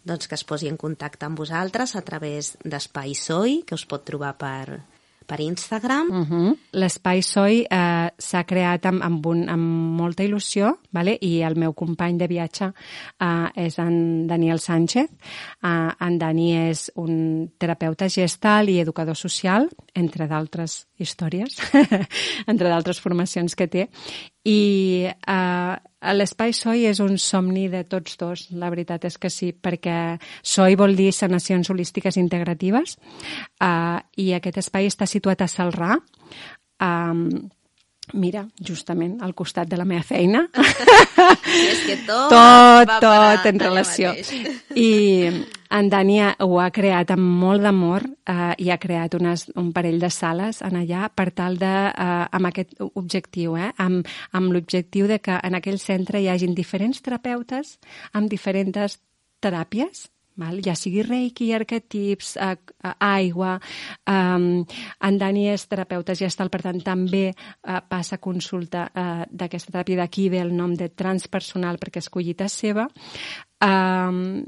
doncs que es posi en contacte amb vosaltres a través d'Espai Soi, que us pot trobar per, per Instagram. Uh-huh. L'Espai Soi eh, s'ha creat amb, amb, un, amb molta il·lusió, vale? I el meu company de viatge eh, és en Daniel Sánchez. Eh, en Dani és un terapeuta gestal i educador social, entre d'altres històries, entre d'altres formacions que té. I eh, l'Espai Soi és un somni de tots dos, la veritat és que sí, perquè Soi vol dir sanacions holístiques integratives, eh, i aquest espai està situat a Celrà, eh, mira, justament al costat de la meva feina. I és que tot, tot, va tot en relació. I En Dani ho ha creat amb molt d'amor eh, i ha creat unes, un parell de sales en allà per tal de, eh, amb aquest objectiu, eh, amb, amb l'objectiu de que en aquell centre hi hagin diferents terapeutes amb diferents teràpies, val? Ja sigui reiki, arquetips, eh, aigua. Um, en Dani és terapeuta gestal, per tant, també eh, passa consulta eh, d'aquesta teràpia. D'aquí ve el nom de transpersonal, perquè és collita seva. Um,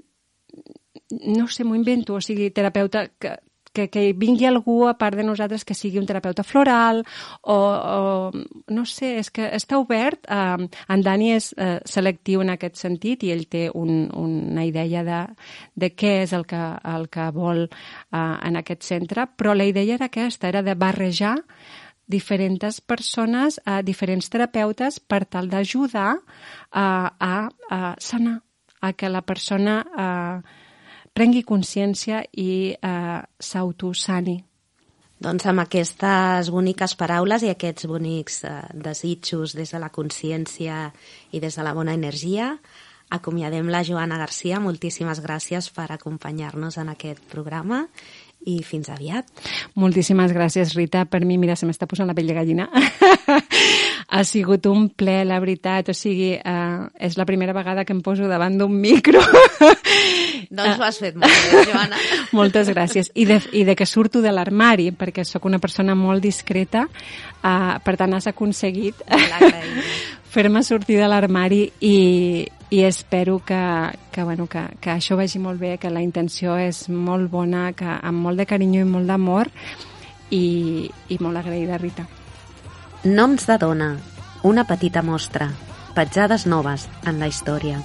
no sé, m'ho invento, o sigui, terapeuta que, que, que vingui algú a part de nosaltres que sigui un terapeuta floral o, o no sé, és que està obert. Eh, en Dani és eh, selectiu en aquest sentit i ell té un, una idea de, de què és el que, el que vol eh, en aquest centre, però la idea era aquesta, era de barrejar diferents persones, eh, diferents terapeutes per tal d'ajudar eh, a, a sanar, a que la persona eh, prengui consciència i eh, s'autosani. Doncs amb aquestes boniques paraules i aquests bonics eh, desitjos des de la consciència i des de la bona energia, acomiadem la Joana Garcia. Moltíssimes gràcies per acompanyar-nos en aquest programa i fins aviat. Moltíssimes gràcies, Rita. Per mi, mira, se m'està posant la pell de gallina. Ha sigut un ple, la veritat. O sigui, eh, és la primera vegada que em poso davant d'un micro. Doncs ho has fet molt bé, Joana. Moltes gràcies. I de, i de que surto de l'armari, perquè sóc una persona molt discreta, eh, per tant has aconseguit fer-me sortir de l'armari i, i espero que, que, bueno, que, que això vagi molt bé, que la intenció és molt bona, que amb molt de carinyo i molt d'amor i, i molt agraïda, Rita. Noms de dona, una petita mostra, petjades noves en la història.